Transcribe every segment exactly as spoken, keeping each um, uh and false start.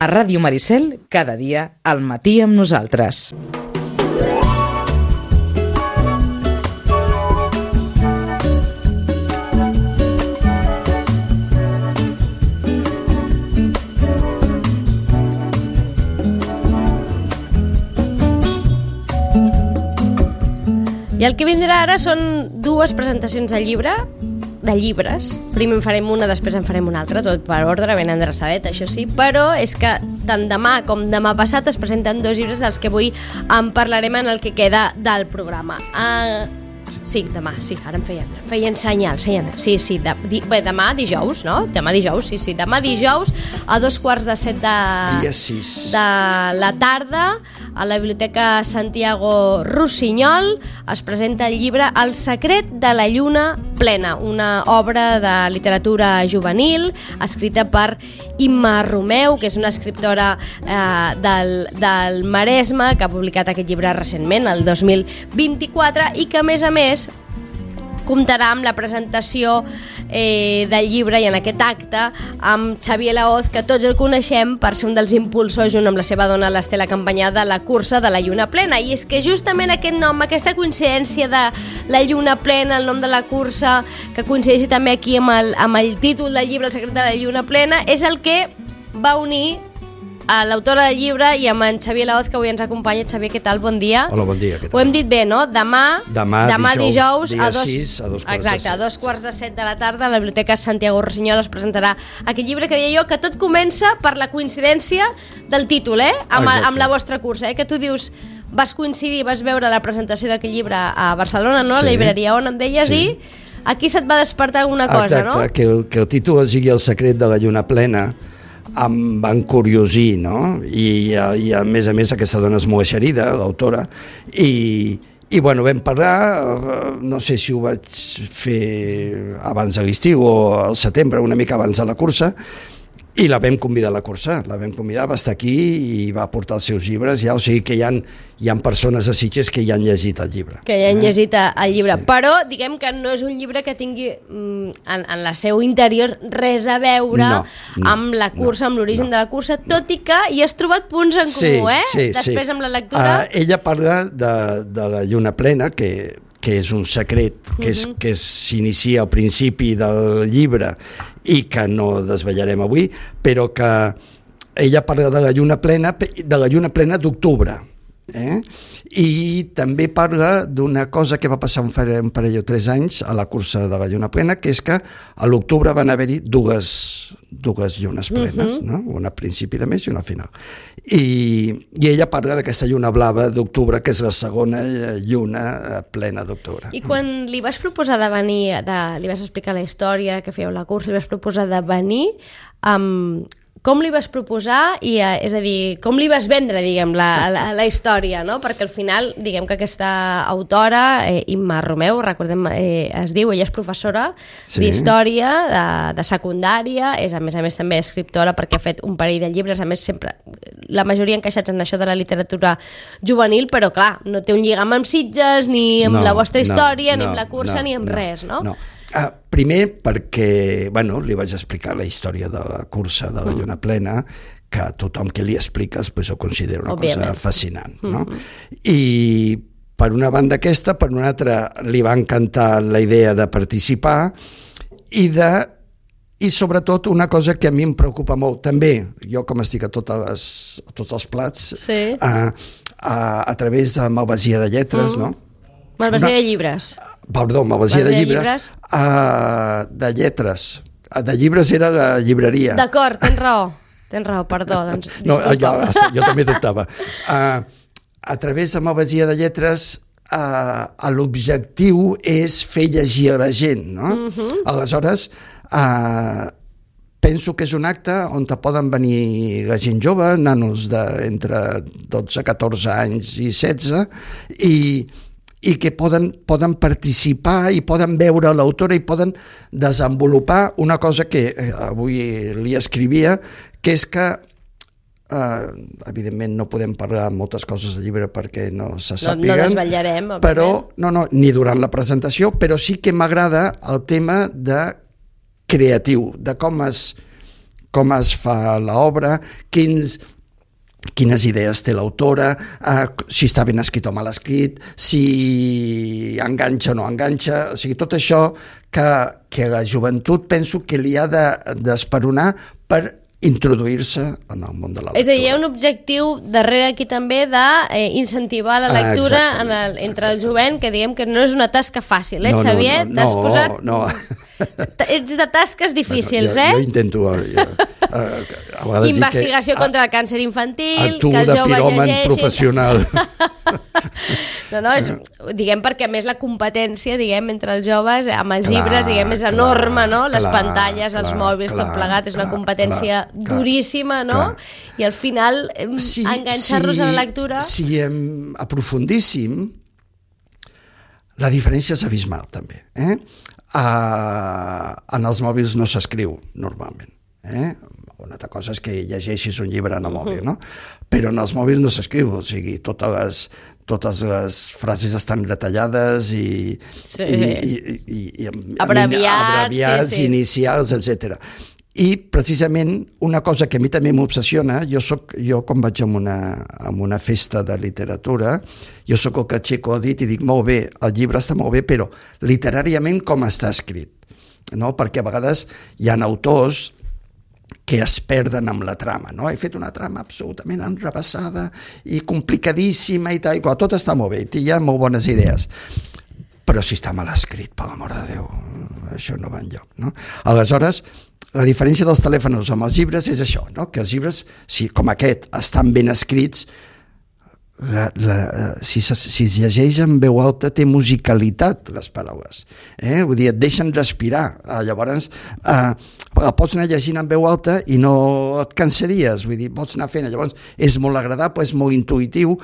A Ràdio Maricel, cada dia, al matí amb nosaltres. I el que vindrà ara són dues presentacions de llibre, de llibres. Primer en farem una, després en farem una altra, tot per ordre, ben endreçadet, això sí, però és que tant demà com demà passat es presenten dos llibres dels que avui en parlarem en el que queda del programa. Uh, sí, demà, sí, ara em feien, feien senyal, senyal, sí, sí, de, di, bé, demà dijous, no? Demà dijous, sí, sí, demà dijous a dos quarts de set de, dia sis. de la tarda, a la Biblioteca Santiago Rossinyol es presenta el llibre El secret de la lluna plena, una obra de literatura juvenil escrita per Imma Romeu, que és una escriptora eh, del, del Maresme, que ha publicat aquest llibre recentment, el dos mil vint-i-quatre, i que a més a més comptarà amb la presentació eh, del llibre i en aquest acte amb Xavier Laoz, que tots el coneixem per ser un dels impulsors, junt amb la seva dona l'Estela Campanyà, de la cursa de la lluna plena. I és que justament aquest nom, aquesta coincidència de la lluna plena, el nom de la cursa, que coincideixi també aquí amb el, amb el títol del llibre El secret de la lluna plena, és el que va unir a l'autora del llibre i amb en Xavier Laoz, que avui ens acompanya. Xavier, què tal? Bon dia. Hola, bon dia. Què tal? Ho hem dit bé, no? Demà, demà, demà dijous, dijous dia a dos, sis, a dos quarts exacte, de set. a dos quarts de set de la tarda a la Biblioteca Santiago Rossinyol es presentarà aquest llibre que deia jo, que tot comença per la coincidència del títol, eh? Amb, amb la vostra cursa, eh? Que tu dius, vas coincidir, vas veure la presentació d'aquest llibre a Barcelona, no? Sí. A la llibreria on em deies, sí. I aquí se't va despertar alguna cosa, exacte, no? Exacte, que, el, que el títol sigui El secret de la lluna plena em va encuriosir, no? I, i a més a més aquesta dona és molt eixerida, l'autora, i, i bueno, vam parlar, no sé si ho vaig fer abans de l'estiu o al setembre, una mica abans de la cursa, i la vam convidar a la cursa, la vam convidar, va estar aquí i va portar els seus llibres, ja, o sigui que hi ha, hi ha persones a Sitges que ja han llegit el llibre. Que ja han eh? llegit el llibre, sí. Però diguem que no és un llibre que tingui en, en la seu interior res a veure no, no, amb la cursa, no, amb l'origen no, de la cursa, tot i que hi has trobat punts en sí, comú, eh? Sí, després sí. amb la lectura... Uh, ella parla de, de la lluna plena, que que és un secret que, és, uh-huh. que s'inicia al principi del llibre i que no desvetllarem avui, però que ella parla de la lluna plena, de la lluna plena d'octubre. Eh? I també parla d'una cosa que va passar un parell o tres anys a la cursa de la lluna plena, que és que a l'octubre van haver-hi dues, dues llunes plenes, uh-huh. no? Una a principi de mes i una a final. I, i ella parla d'aquesta lluna blava d'octubre, que és la segona lluna plena d'octubre. I quan li vas proposar de venir, de, li vas explicar la història que fèieu la cursa, li vas proposar de venir amb... Um, com li vas proposar, i, és a dir, com li vas vendre, diguem, la, la, la història, no? Perquè al final, diguem que aquesta autora, eh, Imma Romeu, recordem, eh, es diu, ella és professora sí. d'història, de, de secundària, és a més a més també escriptora perquè ha fet un parell de llibres, a més sempre, la majoria encaixats en això de la literatura juvenil, però clar, no té un lligam amb Sitges, ni amb no, la vostra història, no, ni amb la cursa, no, ni amb no, res, no? No. Uh, primer perquè, bueno, li vaig explicar la història de la cursa de la lluna plena, que a tothom que li expliques pues, ho considera una Òbviament. cosa fascinant, no? Mm-hmm. I per una banda aquesta, per una altra li va encantar la idea de participar i de i sobretot una cosa que a mi em preocupa molt, també, jo com estic a, totes les, a tots els plats, sí. a, a, a través de Malvasia de Lletres, mm. no? Malvasia de llibres. Perdó, Malvasia de, de llibres, llibres? Uh, de lletres. De llibres era de llibreria. D'acord, tens raó. Tens raó, perdó. Doncs, no, jo, jo també dubtava. Uh, a través de Malvasia de Lletres, uh, l'objectiu és fer llegir a la gent, no? Uh-huh. Aleshores, uh, penso que és un acte on te poden venir la gent jove, nanos d'entre dotze, catorze anys i setze, i i que poden, poden participar i poden veure l'autora i poden desenvolupar una cosa que eh, avui li escrivia, que és que eh, evidentment no podem parlar moltes coses del llibre perquè no se sàpiguen, no, no desvetllarem, però no, no, ni durant la presentació, però sí que m'agrada el tema de creatiu, de com es com es fa l'obra, quins... quines idees té l'autora, eh, si està ben escrit o mal escrit, si enganxa o no enganxa, o sigui, tot això que, que la joventut penso que li ha d'esperonar per introduir-se en el món de la lectura. És a dir, hi ha un objectiu darrere aquí també d'incentivar la lectura ah, en el, entre el jovent, que diguem que no és una tasca fàcil, eh, no, Xavier? No, no, T'has no, posat... no. Ets de tasques difícils, bueno, jo, eh? Jo intento... Jo, uh, a vegades Investigació que, contra el càncer infantil, actuo que els de joves piròman llegeixin... professional. No, no, és, diguem perquè a més la competència, diguem, entre els joves amb els clar, llibres, diguem, és clar, enorme, no? Les clar, pantalles, els clar, mòbils, clar, tot plegat, és una clar, competència clar, clar, duríssima, no? clar. I al final, si, enganxar-los si, a la lectura... Si em aprofundíssim, la diferència és abismal, també. Eh? Uh, en els mòbils no s'escriu, normalment. Eh? Una altra cosa és que llegeixis un llibre en el mòbil, no? Però en els mòbils no s'escriu, o sigui, totes les, totes les frases estan retallades i, sí. i, i, i, i abreviats, abreviats sí, sí. inicials, etcètera. I precisament una cosa que a mi també m'obsessiona, jo soc, jo quan vaig a una, a una festa de literatura, jo sóc el que aixeco el dit i dic, molt bé, el llibre està molt bé, però literàriament com està escrit, no? Perquè a vegades hi ha autors que es perden amb la trama, no? He fet una trama absolutament enrebaçada i complicadíssima i tal, i tot està molt bé, hi ha molt bones idees, però si està mal escrit, per l'amor de Déu, això no va enlloc, no? Aleshores, la diferència dels telèfons amb els llibres és això, no? Que els llibres, si, com aquest, estan ben escrits, la, la, si, si es llegeix en veu alta té musicalitat les paraules, eh? Vull dir, et deixen respirar, eh, llavors eh, pots anar llegint en veu alta i no et cansaries, vull dir, pots anar fent, llavors és molt agradable, és molt intuïtiu,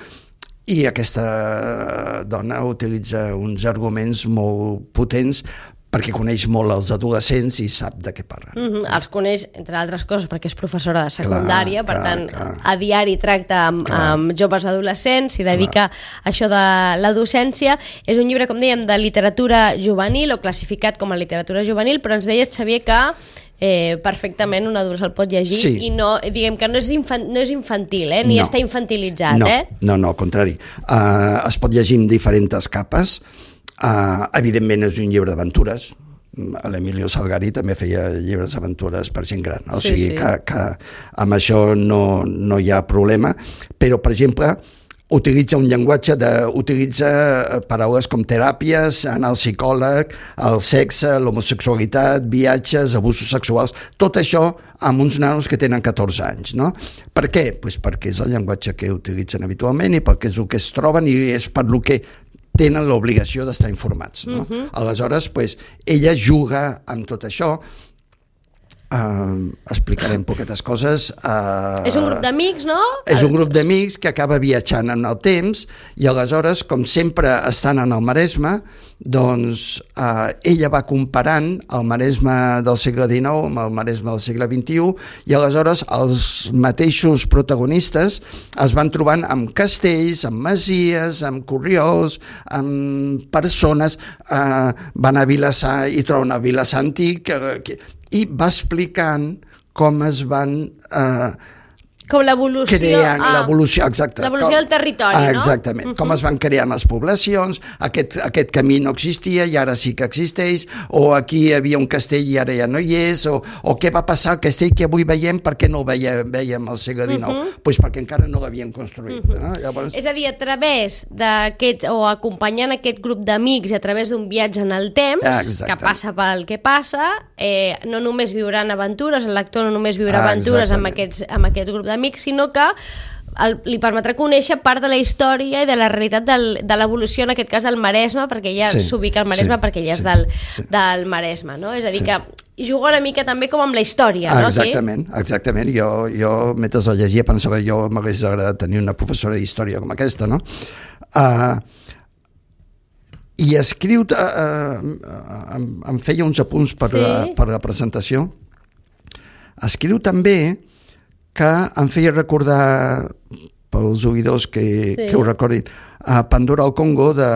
i aquesta dona utilitza uns arguments molt potents perquè coneix molt els adolescents i sap de què parlen. Mm-hmm. Els coneix, entre altres coses, perquè és professora de secundària, clar, per clar, tant, clar. a diari tracta amb, amb joves adolescents, s'hi dedica clar. a això de la docència. És un llibre, com dèiem, de literatura juvenil, o classificat com a literatura juvenil, però ens deies, Xavier, que eh, perfectament un adult se'l pot llegir sí. i no, diguem que no és, infan, no és infantil, eh? Ni no. està infantilitzat, no. eh? No, no, al contrari. Uh, es pot llegir en diferents capes. Uh, evidentment és un llibre d'aventures. L'Emilio Salgari també feia llibres d'aventures per gent gran, no? O sigui sí, sí. Que, que amb això no, no hi ha problema, però per exemple utilitza un llenguatge de, utilitza paraules com teràpies, anar al psicòleg, el sexe, l'homosexualitat, viatges, abusos sexuals, tot això amb uns nanos que tenen catorze anys, no? Per què? Pues perquè és el llenguatge que utilitzen habitualment i perquè és el que es troben i és per el que tenen l'obligació d'estar informats, no? Uh-huh. Aleshores, pues, ella juga amb tot això. Uh, explicarem poquetes coses. Uh, és un grup d'amics, no? És un grup d'amics que acaba viatjant en el temps i aleshores, com sempre estan en el Maresme, doncs uh, ella va comparant el Maresme del segle dinou amb el Maresme del segle vint-i-u i aleshores els mateixos protagonistes es van trobant amb castells, amb masies, amb corriols, amb persones, uh, van a Vilassar i troben el Vilassar antic, uh, que, i va explicant com es van eh, com l'evolució creant, ah, l'evolució, exacte. L'evolució com, del territori, ah, no? Exactament. Uh-huh. Com es van creant les poblacions, aquest, aquest camí no existia i ara sí que existeix, o aquí hi havia un castell i ara ja no hi és, o, o què va passar al castell que avui veiem, per què no el veiem, veiem al segle dinou? Uh-huh. Pues perquè encara no l'havien construït. Uh-huh. No? Llavors... És a dir, a través d'aquest, o acompanyant aquest grup d'amics i a través d'un viatge en el temps, ah, que passa pel que passa, eh, no només viuran aventures, el lector no només viurà ah, aventures amb, aquests, amb aquest grup d'amics, sinó que el, li permetrà conèixer part de la història i de la realitat del, de l'evolució, en aquest cas del Maresme, perquè ja sí, s'ubica al Maresme, sí, perquè ja és sí, del, sí. del Maresme, no? És a dir, sí. que juga una mica també com amb la història, ah, no? Exactament, sí? exactament. Jo, jo mentre la llegia pensava jo m'hagués agradat tenir una professora d'història com aquesta, no? Uh, i escriu, uh, uh, em, em feia uns apunts per, sí. la, per la presentació, escriu també que em feia recordar pels oïdors que, Sí. que ho recordin, a Pandora al Congo de,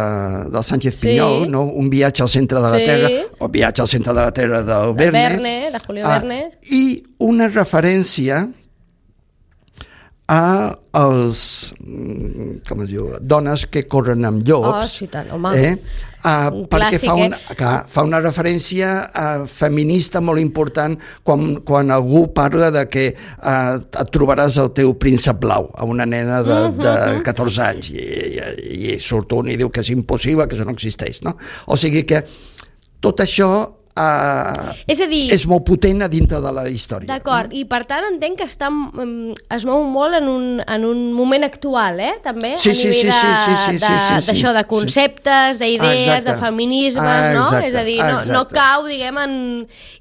del Sánchez Sí. Pinyol, no? Un viatge al centre de la Sí. Terra, o viatge al centre de la Terra del De Verne. Verne, de Julio Ah, Verne. I una referència a els, mm, com es diu, dones que corren amb llops. Oh, sí, tant, home. Eh? Uh, Un perquè clàssic, fa, un, eh? clar, fa una referència uh, feminista molt important quan, quan algú parla de que uh, et trobaràs el teu príncep blau a una nena de, de catorze anys i, i, i surt un i diu que és impossible, que això no existeix, no? O sigui que tot això uh, És a dir, és molt potent a dintre de la història. d'acord, i per tant entenc que està, mm, es mou molt en un, en un moment actual, eh? També, Sí, a sí, nivell sí, de, sí, sí, sí, de, sí, sí, sí. d'això, de conceptes, d'idees, Exacte. de feminismes, Ah, no? exacte, És a dir, no, no exacte. cau, diguem, en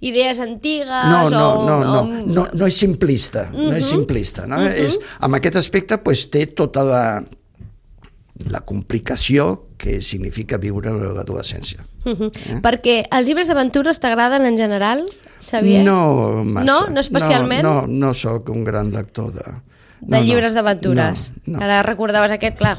idees antigues No, no, o... no, no, o- no, no és simplista, no és simplista, no? És, amb aquest aspecte pues, té tota la, la complicació que significa viure l'adolescència. Mhm. Perquè els llibres d'aventures t'agraden en general, Xavier? No massa. No? No especialment? No, no, no sóc un gran lector de... De no, llibres no, d'aventures. No, no. Ara recordaves aquest, clar,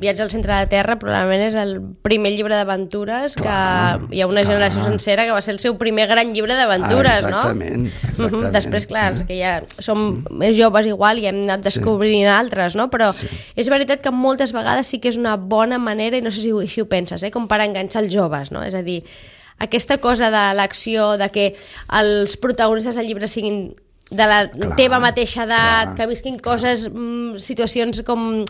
Viatge al centre de la Terra probablement és el primer llibre d'aventures que Clar, hi ha una generació clar. sencera que va ser el seu primer gran llibre d'aventures, Ah, no? exactament, exactament. Mhm. Després, clar, els que ja som més joves igual i hem anat descobrint altres, no? Però Sí. és veritat que moltes vegades sí que és una bona manera, i no sé si així ho penses, eh? Com per enganxar els joves, no? És a dir, aquesta cosa de l'acció, de que els protagonistes del llibre siguin de la Clar, teva mateixa edat, clar, que visquin coses, mm, situacions com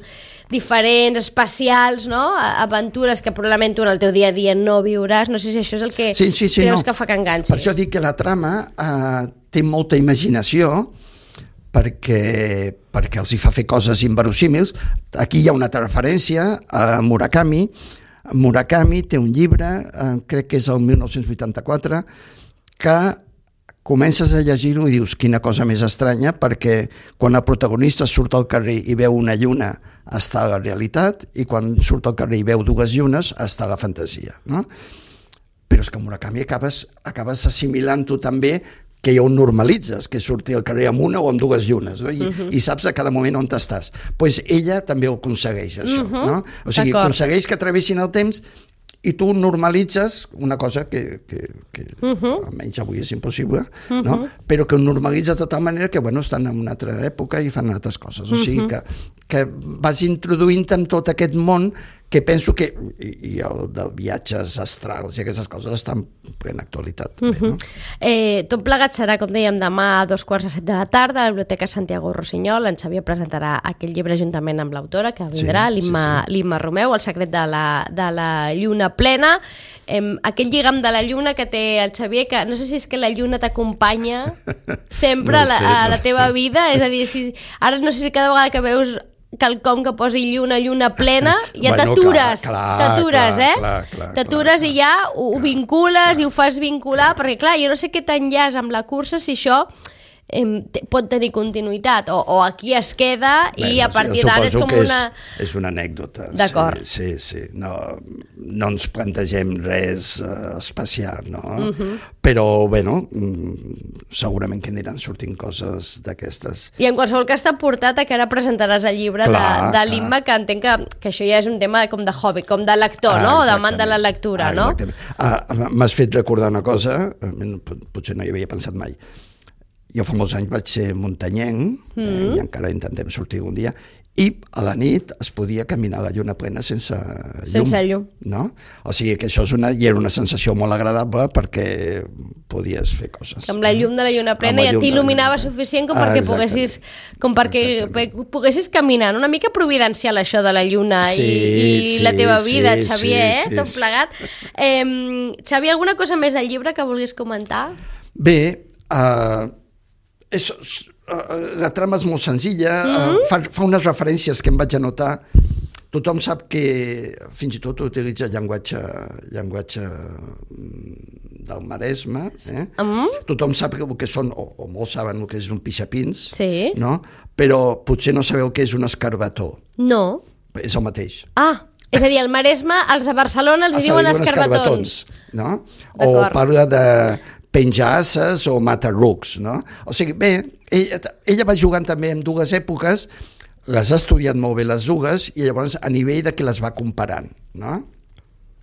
diferents, especials, no? A- Aventures que probablement tu en el teu dia a dia no viuràs. No sé si això és el que Sí, sí, sí, creus no. que fa que enganxi. Per això dic que la trama eh, té molta imaginació perquè, perquè els hi fa fer coses inverosímils. Aquí hi ha una altra referència a Murakami. Murakami té un llibre, eh, crec que és el mil nou-cents vuitanta-quatre, que comences a llegir-ho i dius quina cosa més estranya, perquè quan el protagonista surt al carrer i veu una lluna està a la realitat i quan surt al carrer i veu dues llunes està a la fantasia, no? Però és que Murakami acabes, acabes assimilant-ho també que ho normalitzes, que surti al carrer amb una o amb dues llunes, no? I, uh -huh. i saps a cada moment on estàs. Doncs pues ella també ho aconsegueix, això. Uh -huh. No? O sigui, D'acord. aconsegueix que travessin el temps i tu normalitzes una cosa que, que, que uh -huh. almenys avui és impossible, uh -huh. no? Però que ho normalitzes de tal manera que bueno, estan en una altra època i fan altres coses. O sigui que, que vas introduint en tot aquest món que penso que, i, i el de viatges astrals i aquestes coses estan en actualitat. També, no? Eh, tot plegat serà, com dèiem, demà a dos quarts de set de la tarda a la Biblioteca Santiago Rossinyol. En Xavier presentarà aquest llibre juntament amb l'autora, que vindrà, Sí, l'Imma sí, sí. l'Imma Romeu, El secret de la, de la lluna plena. Eh, aquest lligam de la lluna que té el Xavier, que no sé si és que la lluna t'acompanya sempre No a, la, sé, a no la sé. teva vida, és a dir, si, ara no sé si cada vegada que veus quelcom que posi lluna, lluna plena, ja Bueno, t'atures, clar, clar, t'atures, clar, eh? clar, clar, T'atures clar, i ja ho, ho vincules i ho fas vincular, perquè clar, jo no sé què t'enllaç amb la cursa si això em, te- pot tenir continuïtat, o, o aquí es queda i a partir jo d'ara és suposo com que una... És, és una anècdota. D'acord. Sí, sí, sí. No, no ens plantegem res uh, especial, no? Uh -huh. Però, bueno, mm, segurament que aniran sortint coses d'aquestes. I en qualsevol cas t'ha portat a que ara presentaràs el llibre Clar, de, de l'Imma, que entenc que, que això ja és un tema com de hobby, com de lector, no? O d'amant de la lectura, ah, no? exactament. Ah, m'has fet recordar una cosa, eh, potser no hi havia pensat mai. Jo fa molts anys vaig ser muntanyenc, mm. eh, i encara intentem sortir un dia, i a la nit es podia caminar a la lluna plena sense llum. Sense llum. No? O sigui que això és una, i era una sensació molt agradable perquè podies fer coses. Que amb la llum de la lluna plena Amb la ja llum de la t'il·luminava lluna plena. suficient com Ah, perquè exactament. poguessis, com perquè Exactament. poguessis caminar, no? Una mica providencial això de la lluna Sí, i, i sí, la teva sí, vida, sí, Xavier, sí, eh? Tot sí. plegat. Eh, Xavier, alguna cosa més del llibre que vulguis comentar? Bé, uh, és, uh, la trama és molt senzilla, Mm-hmm. uh, fa, fa unes referències que em vaig anotar. Tothom sap que fins i tot utilitza llenguatge, llenguatge mm, del Maresme. Eh? Mm? Tothom sap el que són, o, o molts saben el que és un pixapins, Sí. no? Però potser no sabeu què és un escarbató. No. És el mateix. Ah, és a dir, al Maresme, els de Barcelona els hi Se li diuen diuen escarbatons. no? D'acord. O parla de penjar asses o matar rucs, no? O sigui, bé, ella, ella va jugant també en dues èpoques. les ha estudiat molt bé les dues i llavors a nivell de que les va comparant, no?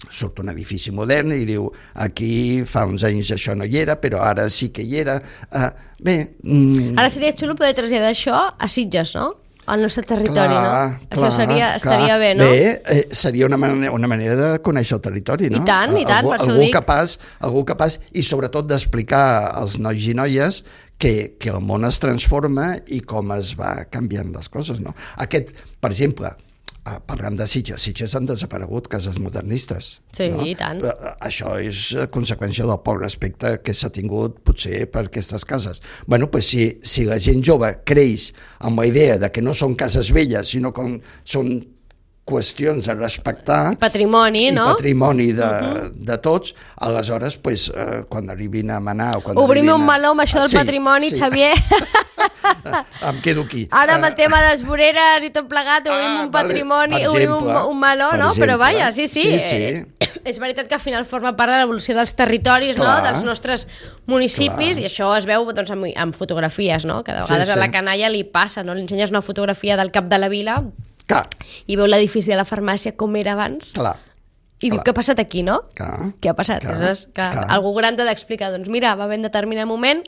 Surt un edifici modern i diu aquí fa uns anys això no hi era, però ara sí que hi era. Uh, bé... Mm, ara seria xulo poder traslladar això a Sitges, no? Al nostre territori, clar, no? Clar, això seria, clar. estaria bé, no? Bé, eh, seria una manera, una manera de conèixer el territori, no? I tant, i tant, algú, per això ho algú dic. capaç, algú capaç, i sobretot d'explicar als nois i noies que, que el món es transforma i com es va canviant les coses, no? Aquest, per exemple, parlant de Sitges, Sitges han desaparegut cases modernistes. Sí, no? i tant. Això és conseqüència del poc respecte que s'ha tingut potser per aquestes cases. Bueno, pues si, si la gent jove creix amb la idea de que no són cases velles, sinó que són qüestions a respectar... Patrimoni, i no? patrimoni de, Uh-huh. de tots, aleshores, pues, eh, quan arribin a manar... O quan Obrim arribin un a... meló amb això del Sí, patrimoni, sí. Xavier. Em quedo aquí. Ara amb el tema de les voreres i tot plegat, obrim Ah, un patrimoni, vale. Per obrim un, exemple, un meló, per no? exemple. Però vaja, sí, sí. Sí, sí. Eh, és veritat que al final forma part de l'evolució dels territoris, Clar. no? Dels nostres municipis, Clar. i això es veu doncs, amb, amb fotografies, no? Que de Sí, vegades sí. a la canalla li passa, no? Li ensenyes una fotografia del cap de la vila Clar, i veu l'edifici de la farmàcia com era abans clar. i diu, Clar. què ha passat aquí, no? Clar, Què ha passat? clar, Aleshores, que clar. algú gran t'ha d'explicar, doncs mira, va haver un determinat moment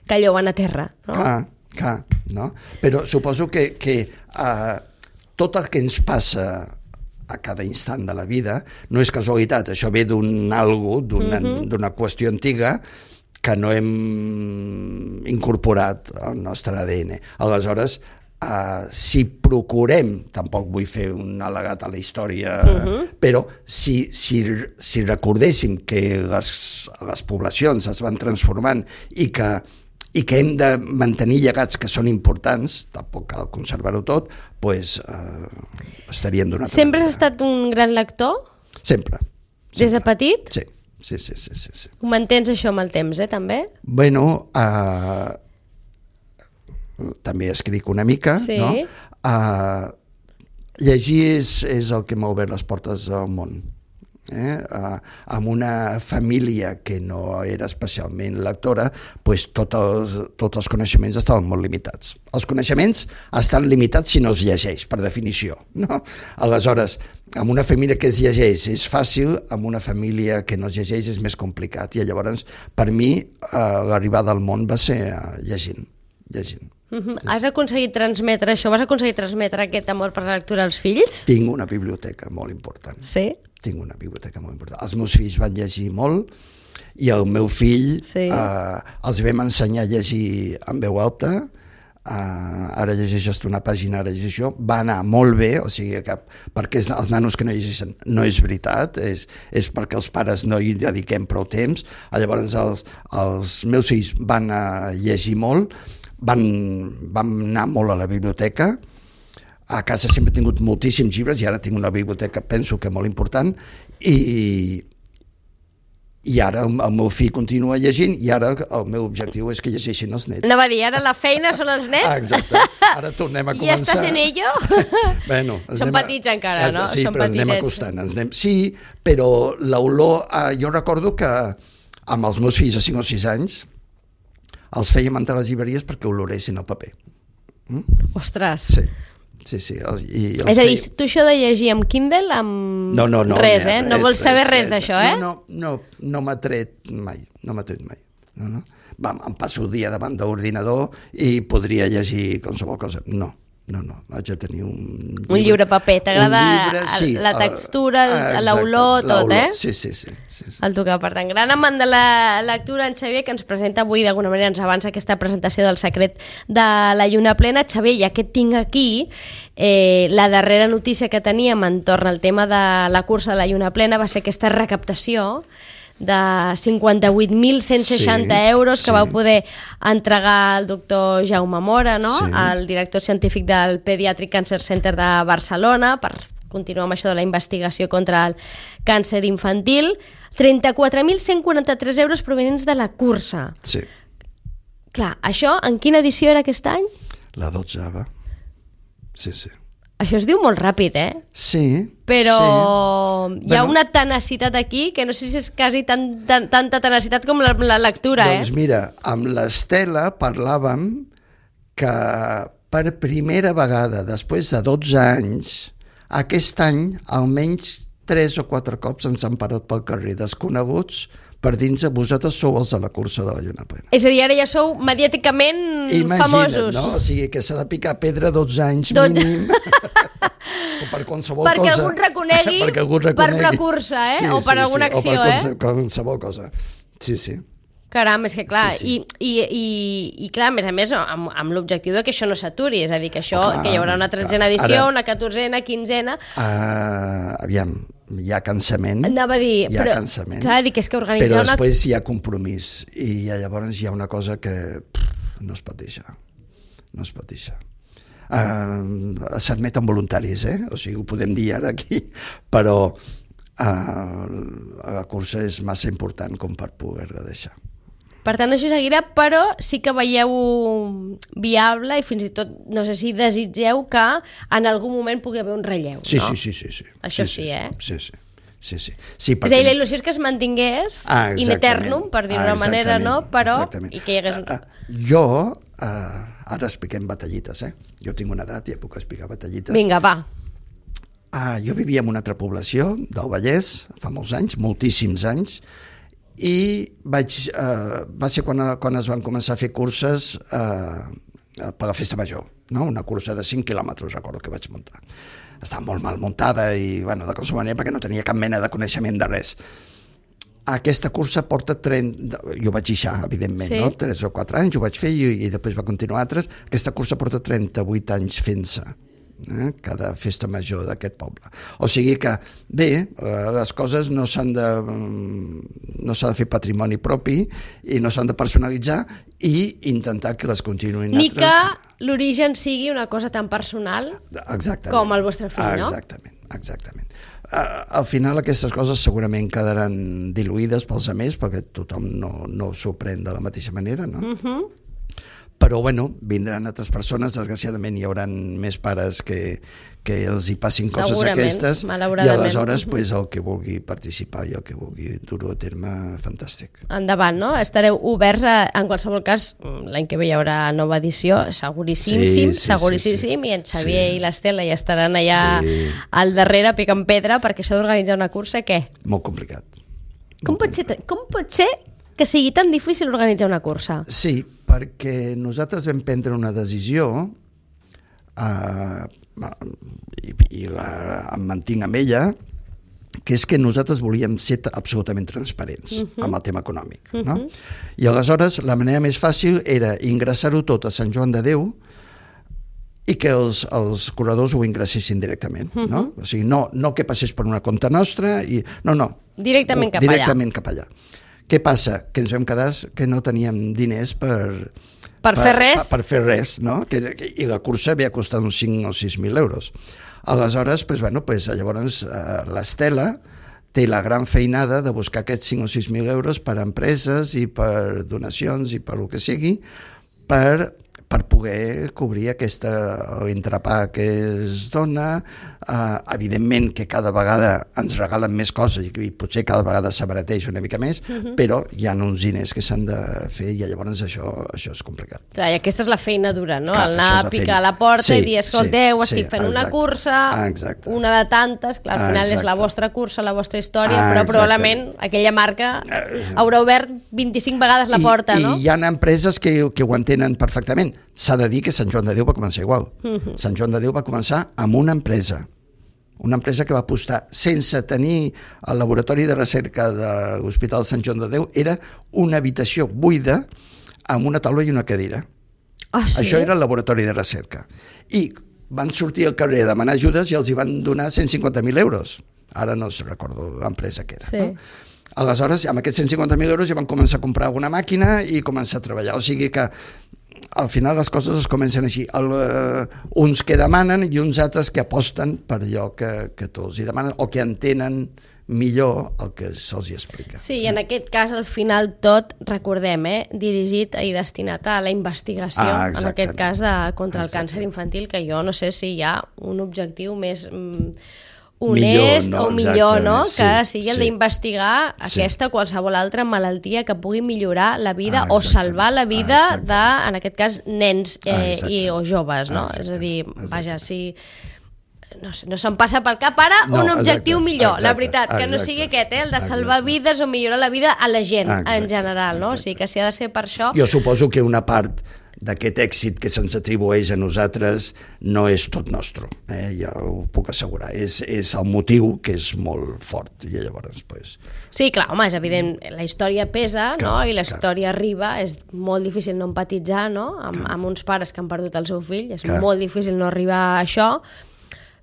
que allò va anar a terra, no? Clar, clar, no? Però suposo que, que uh, tot el que ens passa a cada instant de la vida no és casualitat, això ve d'un algo, d'una Mhm. d'una qüestió antiga que no hem incorporat al nostre A D N. Aleshores, uh, si procurem, tampoc vull fer un al·legat a la història, Mhm. però si, si, si recordéssim que les, les poblacions es van transformant i que i que hem de mantenir llegats que són importants, tampoc cal conservar-ho tot, doncs eh, estaríem d'una altra Sempre has manera. estat un gran lector? Sempre. Des de sempre. petit? Sí, sí, sí, sí, sí, sí. Ho mantens això amb el temps, eh, també? Bueno, eh, també escric una mica, Sí. no? Eh, llegir és, és el que m'ha obert les portes al món. Eh? Uh, amb una família que no era especialment lectora, pues tots els, tots els coneixements estaven molt limitats. Els coneixements estan limitats si no es llegeix, per definició. No? Aleshores, amb una família que es llegeix és fàcil, amb una família que no es llegeix és més complicat. I llavors, per mi, uh, l'arribada al món va ser uh, llegint, llegint. Uh-huh. Has aconseguit transmetre això? Vas aconseguir transmetre aquest amor per la lectura als fills? Tinc una biblioteca molt important. Sí? Tinc una biblioteca molt important. Els meus fills van llegir molt i el meu fill Sí. eh, els vam ensenyar a llegir en veu alta, eh, ara llegeixes tu una pàgina, ara llegeixes això, va anar molt bé, o sigui que perquè els nanos que no llegeixen no és veritat, és, és perquè els pares no hi dediquem prou temps. Llavors els, els meus fills van a llegir molt, van, van anar molt a la biblioteca. A casa sempre he tingut moltíssims llibres i ara tinc una biblioteca, penso que molt important, i, i ara el, el meu fill continua llegint i ara el meu objectiu és que llegeixin els nets. No va dir, ara la feina són els nets? Ah, exacte. Ara tornem a I començar. estàs en ello? Bueno, ens Són anem a- petits encara, no? Sí, Són però ens anem petitets. acostant. Ens anem... Sí, però l'olor... Eh, jo recordo que amb els meus fills de cinc o sis anys els fèiem entrar a les llibreries perquè oloressin el paper. Ostres. Sí, sí, sí. Els, i els És a dir, feia- tu això de llegir amb Kindle, amb No, no, no. res, no, eh? No vols saber res, d'això, eh? No, no, no, no m'ha tret mai, no m'ha tret mai. No, no. Va, em passo el dia davant d'ordinador i podria llegir qualsevol cosa. No, no, no, vaig a tenir un llibre. Un llibre paper, t'agrada Un llibre, sí, la el- textura, el- exacte, l'olor, tot, l'olor, eh? Sí, sí, sí. sí, sí. El tocar. Per tant, gran amant de la lectura, en Xavier, que ens presenta avui, d'alguna manera ens avança aquesta presentació del secret de la lluna plena. Xavier, ja que et tinc aquí, eh, la darrera notícia que teníem entorn al tema de la cursa de la lluna plena va ser aquesta recaptació de cinquanta-vuit mil cent seixanta Sí, euros que sí. vau poder entregar al doctor Jaume Mora, no? Sí. El director científic del Pediatric Cancer Center de Barcelona, per continuar amb això de la investigació contra el càncer infantil. trenta-quatre mil cent quaranta-tres euros provenents de la cursa. Sí, Clar, això en quina edició era aquest any? la dotzava. Sí, sí. Això es diu molt ràpid, eh? Sí, Però sí. hi ha Bueno. una tenacitat aquí que no sé si és quasi tan, tan, tanta tenacitat com la, la lectura, Doncs eh? mira, amb l'Estela parlàvem que per primera vegada, després de dotze anys, aquest any almenys tres o quatre cops ens han parat pel carrer desconeguts per dins de vosaltres sou els de la cursa de la Lluna Plena. És a dir, ara ja sou mediàticament Imagina't, famosos. No? O sigui, que s'ha de picar pedra dotze anys Dot... mínim o per qualsevol perquè cosa. Algú reconegui, perquè algú reconegui per una cursa, eh? Sí, o per sí, alguna sí, acció, o per eh? qualsevol cosa. Sí, sí. Caram, és que clar, Sí, sí. I, i, i, i clar, a més a més, amb, amb l'objectiu de que això no s'aturi, és a dir, que això, Oh, clar, que hi haurà una tretzena clar. edició, Ara- una catorzena, quinzena... Uh, aviam, hi ha cansament. Anava a dir, hi ha però, cansament. clar, dic, és que organitzar Però una... després hi ha compromís i llavors hi ha una cosa que pff, no es pot deixar. No es pot deixar. Uh, S'admeten voluntaris, eh? O sigui, ho podem dir ara aquí, però uh, la cursa és massa important com per poder-la deixar. Per tant, això seguirà, però sí que veieu viable i fins i tot, no sé si desitgeu que en algun moment pugui haver un relleu, Sí, no? sí, sí, sí, sí. Això sí, sí, sí, eh? Sí, sí. Sí, sí. sí És a dir, la il·lusió és que es mantingués Ah, in eternum, per dir-ho d'una manera, no? Però, exactament. i que hi hagués un... Uh, jo, uh, ara expliquem batallites, eh? Jo tinc una edat i ja puc explicar batallites. Vinga, va. Uh, jo vivia en una altra població del Vallès, fa molts anys, moltíssims anys, i vaig, uh, va ser quan, quan es van començar a fer curses uh, per la Festa Major, no? Una cursa de cinc quilòmetres, recordo que vaig muntar. Estava molt mal muntada i, bueno, de qualsevol manera, perquè no tenia cap mena de coneixement de res. Aquesta cursa porta trenta... Jo vaig deixar, evidentment, Sí. no? tres o quatre anys, ho vaig fer i, i després va continuar altres. Aquesta cursa porta trenta-vuit anys fent-se. Eh? Cada festa major d'aquest poble. O sigui que, bé, eh, les coses no s'han de no s'ha de fer patrimoni propi i no s'han de personalitzar i intentar que les continuïn Ni altres. que l'origen sigui una cosa tan personal Exactament. com el vostre fill, no? Exactament, exactament. Uh, al final aquestes coses segurament quedaran diluïdes pels altres perquè tothom no, no s'ho pren de la mateixa manera, no? Uh-huh. Però, bueno, vindran altres persones, desgraciadament hi haurà més pares que, que els hi passin coses Segurament, aquestes i malauradament. aleshores pues, el que vulgui participar i el que vulgui dur-ho a terme, fantàstic. Endavant, no? Estareu oberts a, en qualsevol cas, l'any que ve hi haurà nova edició, seguríssim, Sí, sí, seguríssim, sí, sí. i en Xavier Sí. i l'Estela ja estaran allà Sí. al darrere picant pedra, perquè això d'organitzar una cursa, què? Molt complicat. Com pot, ser, com pot ser que sigui tan difícil organitzar una cursa? Sí, perquè nosaltres vam prendre una decisió uh, i, i la, em mantinc amb ella, que és que nosaltres volíem ser absolutament transparents uh-huh. amb el tema econòmic. Uh-huh. No? I aleshores la manera més fàcil era ingressar-ho tot a Sant Joan de Déu i que els, els corredors ho ingressessin directament. Uh-huh. No? O sigui, no, no que passés per una compte nostra, i no, no. Directament cap directament allà. cap allà. Què passa? Que ens vam quedar que no teníem diners per... Per fer res? Per, per fer res, no? Que, que, I la cursa havia costat uns cinc o sis mil euros. Aleshores, pues, bueno, pues, llavors eh, l'Estela té la gran feinada de buscar aquests cinc o sis mil euros per a empreses i per donacions i per el que sigui, per per poder cobrir aquesta entrepà que es dona. Uh, evidentment que cada vegada ens regalen més coses i potser cada vegada s'abarateix una mica més, uh-huh. però hi ha uns diners que s'han de fer i llavors això, això és complicat. Clar, i aquesta és la feina dura, no? Clar, el anar a picar a la porta sí, i dir, escolteu, sí, estic fent sí, una exacte. cursa, Exacte. una de tantes, clar, al final Exacte. és la vostra cursa, la vostra història, Ah, però exacte. probablement aquella marca haurà obert vint-i-cinc vegades la porta, I, no? I hi ha empreses que, que ho entenen perfectament. S'ha de dir que Sant Joan de Déu va començar igual. Uh-huh. Sant Joan de Déu va començar amb una empresa, una empresa que va apostar sense tenir el laboratori de recerca de l'Hospital Sant Joan de Déu, era una habitació buida amb una taula i una cadira. Ah, sí? Això era el laboratori de recerca. I van sortir al carrer a demanar ajudes i els hi van donar cent cinquanta mil euros. Ara no recordo l'empresa que era. Sí. No? Aleshores, amb aquests cent cinquanta mil euros ja van començar a comprar una màquina i començar a treballar. O sigui que al final les coses es comencen així. El, uh, uns que demanen i uns altres que aposten per allò que, que tots hi demanen o que entenen millor el que se'ls hi explica. Sí, i en aquest cas, al final, tot, recordem, eh, dirigit i destinat a la investigació, Ah, en aquest cas, de, contra el Exactament. càncer infantil, que jo no sé si hi ha un objectiu més... Mm, honest millor, no? o millor, no? Exactament, Que sí, sigui el sí. d'investigar Sí. aquesta o qualsevol altra malaltia que pugui millorar la vida Ah, o exactament. salvar la vida Ah, de, en aquest cas, nens Ah, eh, exactament. i, o joves, no? Ah, És a dir, exactament. vaja, si... No sé, no se'm passa pel cap ara No, un objectiu exacte, millor, la exacte, veritat, que no exacte, sigui aquest, eh, el de salvar exacte. vides o millorar la vida a la gent Exacte, en general, no? O sigui que si ha de ser per això... Jo suposo que una part d'aquest èxit que se'ns atribueix a nosaltres no és tot nostre, eh? Ja ho puc assegurar. És, és el motiu que és molt fort i llavors, pues, Sí, clar, home, és evident, la història pesa, Clar, no? I la clar. història arriba, és molt difícil no empatitzar, no? Amb, amb uns pares que han perdut el seu fill, és Clar. molt difícil no arribar a això,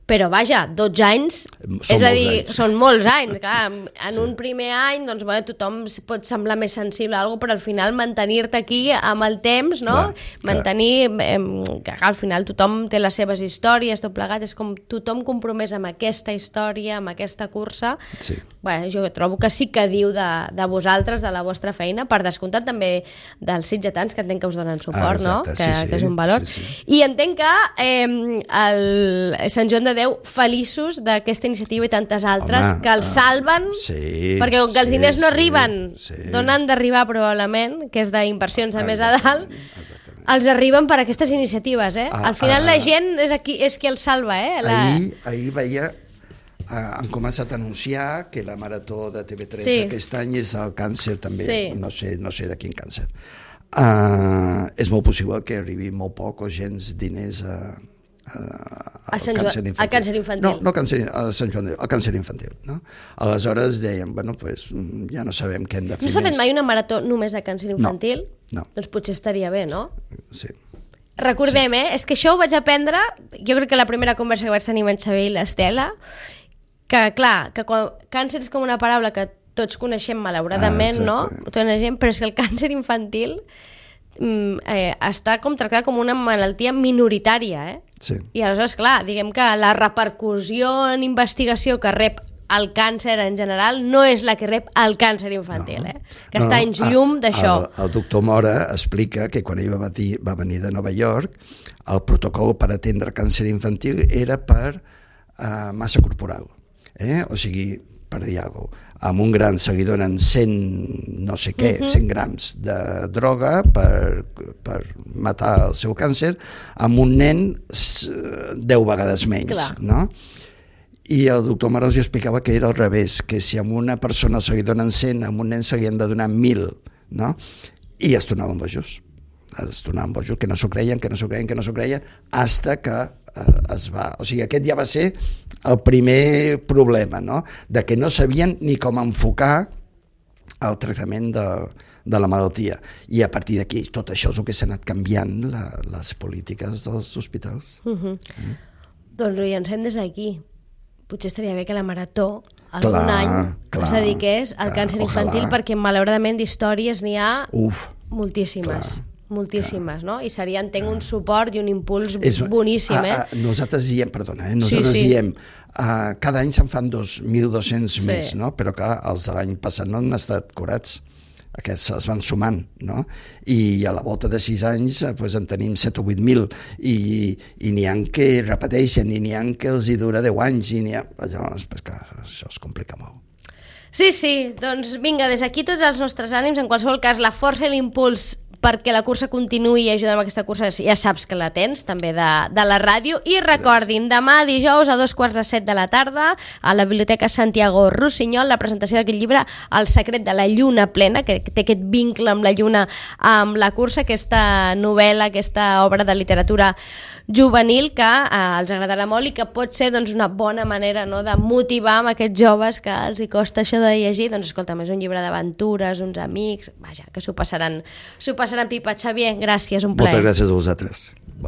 però vaja, dotze anys, Són és a molts dir, anys. són molts anys, clar, en sí. un primer any, doncs, bueno, tothom pot semblar més sensible a alguna cosa, però al final mantenir-te aquí amb el temps, no? Clar, Mantenir, eh, que clar, al final tothom té les seves històries, tot plegat, és com tothom compromès amb aquesta història, amb aquesta cursa. sí. Bueno, jo trobo que sí que diu de, de vosaltres, de la vostra feina, per descomptat també dels sitgetans que entenc que us donen suport, Ah, exacte, no? sí, Que, sí, que és un valor. sí, sí. I entenc que eh, el Sant Joan de Déu feliços d'aquesta iniciativa i tantes altres Home, que els ah, salven, sí, perquè com que els sí, diners no sí, arriben sí. d'on han d'arribar probablement, que és d'inversions a més a dalt, Exactament. els arriben per aquestes iniciatives, eh? Ah, Al final ah, la gent és, aquí, és qui els salva, eh? La... Ahir, ahir veia, eh, han començat a anunciar que la marató de T V tres Sí. aquest any és el càncer també, Sí. no sé, no sé de quin càncer. Uh, és molt possible que arribi molt poc o gens diners a, a, A Sant Joan- al càncer infantil. No, no càncer, a Sant Joan, al càncer infantil. No? Aleshores deien, bueno, pues, ja no sabem què hem de fer No s'ha fet més. mai una marató només de càncer infantil? no. Doncs potser estaria bé, no? Sí. Recordem, eh? És que això ho vaig aprendre, jo crec que la primera conversa que vaig tenir amb en Xavier i l'Estela, que clar, que quan, càncer és com una paraula que tots coneixem malauradament, Ah, no? exacte. Tota la gent, però és que el càncer infantil mm, eh, està com tractat com una malaltia minoritària, eh? Sí. I aleshores, clar, diguem que la repercussió en investigació que rep el càncer en general no és la que rep el càncer infantil, eh? Que No, està no, anys a- llum d'això. El, el doctor Mora explica que quan ell va venir, va venir de Nova York, el protocol per atendre càncer infantil era per uh, massa corporal. Eh? O sigui, per dir alguna cosa, amb un gran se li donen cent, no sé què, uh -huh. cent grams de droga per, per matar el seu càncer, amb un nen s- deu vegades menys. Clar. No? I el doctor Maros explicava que era al revés, que si a una persona se li donen cent, a un nen se li han de donar mil, no? I es tornaven bojos. Es tornaven bojos, que no s'ho creien, que no s'ho creien, que no s'ho creien, hasta que eh, es va... O sigui, aquest ja va ser el primer problema, no? De que no sabien ni com enfocar el tractament de, de la malaltia. I a partir d'aquí, tot això és el que s'ha anat canviant, la, les polítiques dels hospitals. Uh -huh. mm. Doncs ho llancem des d'aquí. Potser estaria bé que la marató algun Clar, any clar, es dediqués al clar, càncer infantil, ojalà. perquè malauradament d'històries n'hi ha Uf, moltíssimes. clar, moltíssimes, no? I seria, entenc, un suport i un impuls és, boníssim, a, eh? a, nosaltres diem, perdona, eh? nosaltres Sí, sí. diem, uh, cada any se'n fan dos mil dos-cents Sí. més, no? Però clar, els de l'any passat no han estat curats. Aquests es van sumant, no? I a la volta de sis anys eh, pues, en tenim set o vuit mil i, i n'hi ha que repeteixen i n'hi ha que els hi dura deu anys i n'hi ha... Llavors, pues, clar, això es complica molt. Sí, sí, doncs vinga, des d'aquí tots els nostres ànims, en qualsevol cas, la força i l'impuls perquè la cursa continuï i ajudem a aquesta cursa, ja saps que la tens, també de, de la ràdio. I recordin, demà dijous a dos quarts de set de la tarda, a la Biblioteca Santiago Rossinyol, la presentació d'aquest llibre, El secret de la lluna plena, que té aquest vincle amb la lluna, amb la cursa, aquesta novel·la, aquesta obra de literatura juvenil que eh, els agradarà molt i que pot ser doncs, una bona manera, no?, de motivar amb aquests joves que els hi costa això de llegir. Doncs escolta, és un llibre d'aventures, uns amics, vaja, que s'ho passaran, s'ho passaran pipa. Xavier, gràcies, un plaer. Moltes gràcies a vosaltres.